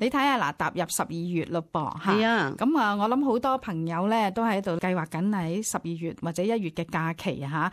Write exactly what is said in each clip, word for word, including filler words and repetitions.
你睇下嗱，踏入十二月咯噃，係啊，咁啊，我諗好多朋友咧都喺度計劃緊喺十二月或者一月嘅假期嚇，啊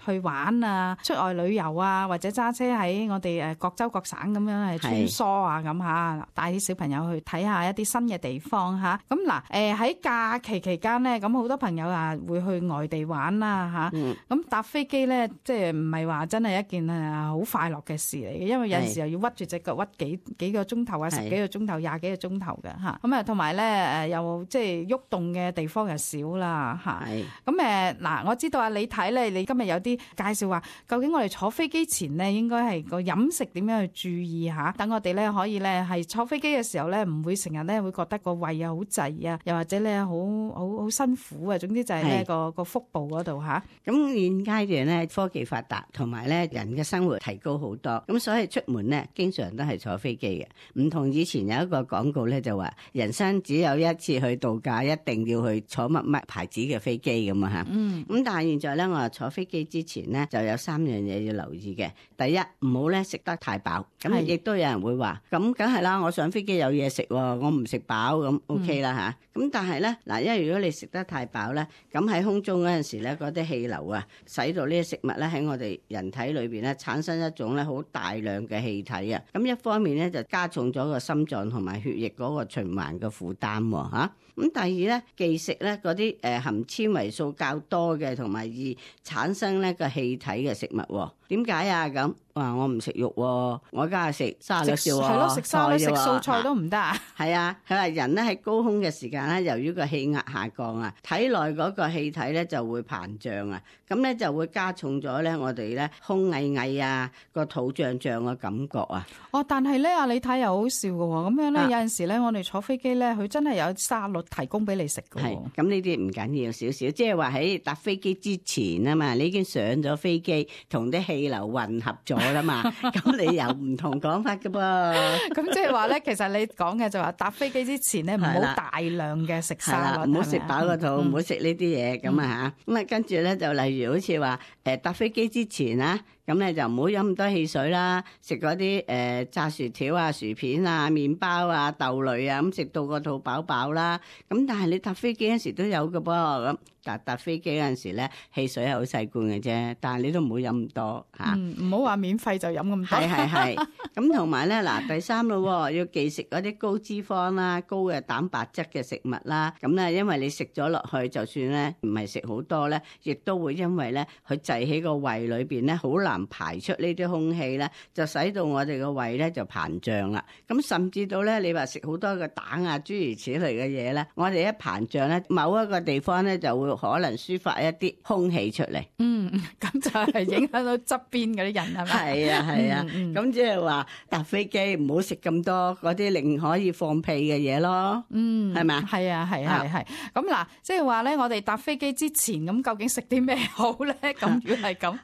去玩啊，出外旅遊啊，或者揸車喺我哋誒各州各省咁樣係穿梭啊咁嚇，帶啲小朋友去睇下一啲新嘅地方嚇。咁嗱誒喺假期期間咧，咁好多朋友啊會去外地玩啦嚇。咁、嗯、搭飛機咧，即係唔係話真係一件誒好快樂嘅事嚟嘅，因為有陣時候要屈住隻腳屈幾幾個鐘頭啊，十幾個鐘頭、廿幾個鐘頭嘅嚇。咁啊，同埋咧誒又即係喐動嘅地方又少啦嚇。咁誒嗱，我知道啊，你睇咧，你今日有啲介紹話，究竟我哋坐飛機前咧應該係個飲食點樣去注意嚇，等我哋咧可以咧係坐飛機嘅時候咧唔會成日咧會覺得個胃啊好滯啊，又或者咧好好好辛苦啊。總之就係咧個個腹部嗰度嚇。咁現階段咧科技發達，同埋咧人嘅生活提高好多，咁所以出門咧經常都係坐飛機嘅。唔同以前有一個廣告咧就話，人生只有一次去度假，一定要去坐乜乜牌子嘅飛機咁啊嚇。嗯。咁但係現在咧，我話坐飛機之前咧就有三樣嘢要留意嘅。第一，唔好咧食得太飽。咁亦都有人會話，咁梗係啦，我上飛機有嘢食喎，我唔食飽咁 OK 啦嚇。咁、嗯、但係咧嗱，因為如果你食得太飽咧，咁喺空中嗰陣時咧，嗰啲氣流啊，使到呢啲食物咧喺我哋人體裏邊咧產生一種咧好大量嘅氣體啊。咁一方面咧就加重咗個心臟同埋血液嗰個循環嘅負擔喎嚇。咁第二咧，忌食咧嗰啲誒含纖維素較多嘅同埋易產生咧個氣體嘅食物。點解啊？咁話我唔食肉喎，我梗係食沙律少喎，係咯，食沙律食素菜都唔得啊。係啊，佢話人咧喺高空嘅時間咧，由於個氣壓下降啊，體內嗰個氣體咧就會膨脹啊，咁咧就會加重咗咧我哋咧胸翳翳啊，個肚脹脹嘅感覺啊。哦，但係咧啊，你睇又好笑嘅喎，咁樣咧有陣時咧我哋坐飛機咧，佢真係有沙律提供俾你食嘅。係，咁呢啲唔緊要少少，即係話喺搭飛機之前啊嘛，你已經上咗飛機，同啲氣流混合咗啦嘛，咁你有唔同講法嘅噃。咁即係話咧，其實你講嘅就話搭飛機之前咧，唔好大量嘅食沙律，唔好食飽個肚，唔好食呢啲嘢咁啊嚇。咁啊跟住咧就例如好似話誒搭飛機之前啊，咁咧就唔好飲咁多汽水啦，食嗰啲誒炸薯條啊、薯片啊、麵包啊、豆類啊，咁食到個肚飽飽啦。咁但係你搭飛機嗰時都有嘅噃，咁搭搭飛機嗰陣時咧，汽水係好細罐嘅啫，但係你都唔好飲咁多嚇。唔好話免費就飲咁多。係係係。咁同埋咧嗱，第三咯，要忌食嗰啲高脂肪啦、高嘅蛋白質嘅食物啦。咁咧，因為你食咗落去，就算咧唔係食好多咧，亦都會因為咧佢滯喺個胃裏邊咧，好難排出呢啲空氣咧，就使到我哋個胃咧就膨脹啦。咁甚至到咧，你話食好多嘅蛋啊，諸如此類嘅嘢咧，我哋一膨脹咧，某一個地方咧就會可能抒發一啲空氣出嚟。嗯，咁就係影響到側邊嗰啲人係咪？係啊係啊，咁即係話搭飛機唔好食咁多嗰啲令可以放屁嘅嘢咯。嗯，係咪啊？係啊係係係。咁嗱，即係話咧，我哋搭飛機之前咁究竟食啲咩好咧？咁如果係咁。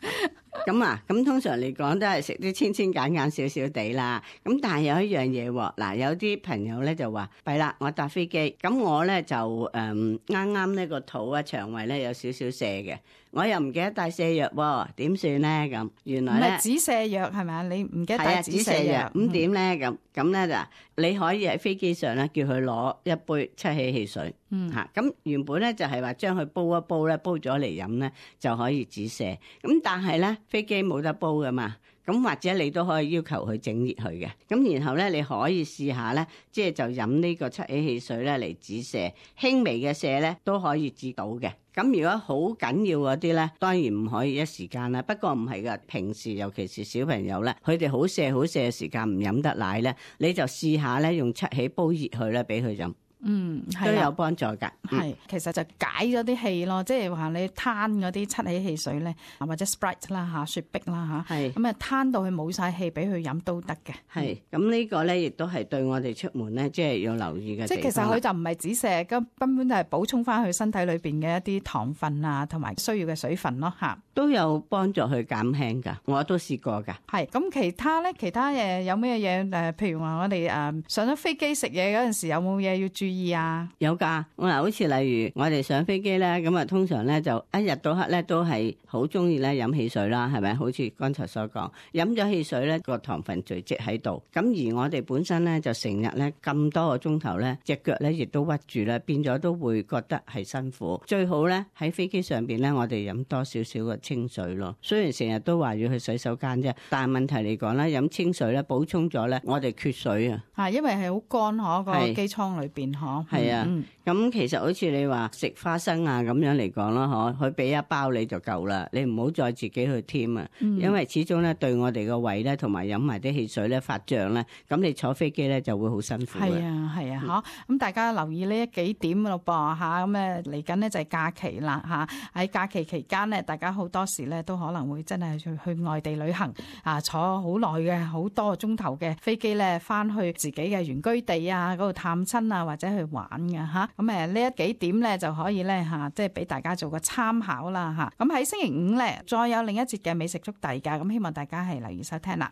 咁啊，咁通常嚟講都係食啲清清簡簡少少地啦。咁但係有一樣嘢喎，嗱有啲朋友咧就話，弊啦，我搭飛機，咁我咧就誒啱啱呢個肚啊腸胃咧有少少瀉嘅，我又唔記得帶瀉藥喎，點算咧？咁原來咧唔係止瀉藥係咪啊？你唔記得帶止瀉藥，咁點咧？咁咁咧就你可以喺飛機上咧叫佢攞一杯七喜汽水，嗯嚇。咁原本咧就係話將佢煲一煲咧，煲咗嚟飲咧就可以止瀉。咁但係咧飛機冇得煲噶嘛，咁或者你都可以要求佢整熱佢嘅。咁然後咧你可以試下咧，即係就飲呢個七喜汽水咧嚟止瀉，輕微嘅瀉咧都可以止到嘅。咁如果好緊要嗰啲咧，當然唔可以一時間啦。不過唔係噶，平時尤其是小朋友咧，佢哋好瀉好瀉嘅時間唔飲得奶咧，你就試下咧用七喜煲熱佢咧，俾佢飲。嗯，都有幫助噶。係，其實就解咗啲氣咯，即係話你攤嗰啲七喜汽水咧，或者 Sprite 啦吓，雪碧啦吓，係咁啊攤到佢冇晒氣，俾佢飲都得嘅。係，咁呢個咧亦都係對我哋出門咧，即係要留意嘅。即係其實佢就唔係止瀉，咁根本就係補充翻佢身體裏邊嘅一啲糖分啊，同埋需要嘅水分咯吓，都有幫助去減輕噶。我都試過噶。係，咁其他咧，其他嘢有咩嘢誒？譬如話我哋誒上咗飛機食嘢嗰陣時，有冇嘢要注意啊？有噶，我嗱，好似例如我哋上飛機咧，咁啊通常咧就一日到黑咧都係好中意咧飲汽水啦，係咪？好似剛才所講，飲咗汽水咧個糖分聚集喺度，咁而我哋本身咧就成日咧咁多個鐘頭咧，隻腳咧亦都屈住啦，變咗都會覺得係辛苦。最好咧喺飛機上邊咧，我哋飲多少少嘅清水咯。雖然成日都話要去洗手間啫，但係問題嚟講咧，飲清水咧補充咗咧，我哋缺水啊。啊，因為係好乾嗬，個機艙裏邊嗬。係啊，咁、嗯、其實好似你話食花生啊咁樣嚟講啦，嗬，佢俾一包你就夠啦，你唔好再自己去添啊、嗯，因為始終咧對我哋個胃咧同埋飲埋啲汽水咧發脹咧，咁你坐飛機咧就會好辛苦。係啊係啊，嗬、啊，咁、嗯、大家留意呢一幾點咯噃吓，咁誒嚟緊呢就係假期啦吓，喺假期期間呢，大家好多時咧都可能會真係去去外地旅行啊，坐好耐嘅好多個鐘頭嘅飛機咧，翻去自己嘅原居地啊嗰度探親啊或者去玩嘅吓，咁誒呢一幾點咧就可以咧吓，即係俾大家做個參考啦吓。咁喺星期五咧再有另一節嘅美食速遞噶，咁希望大家係留意收聽啦。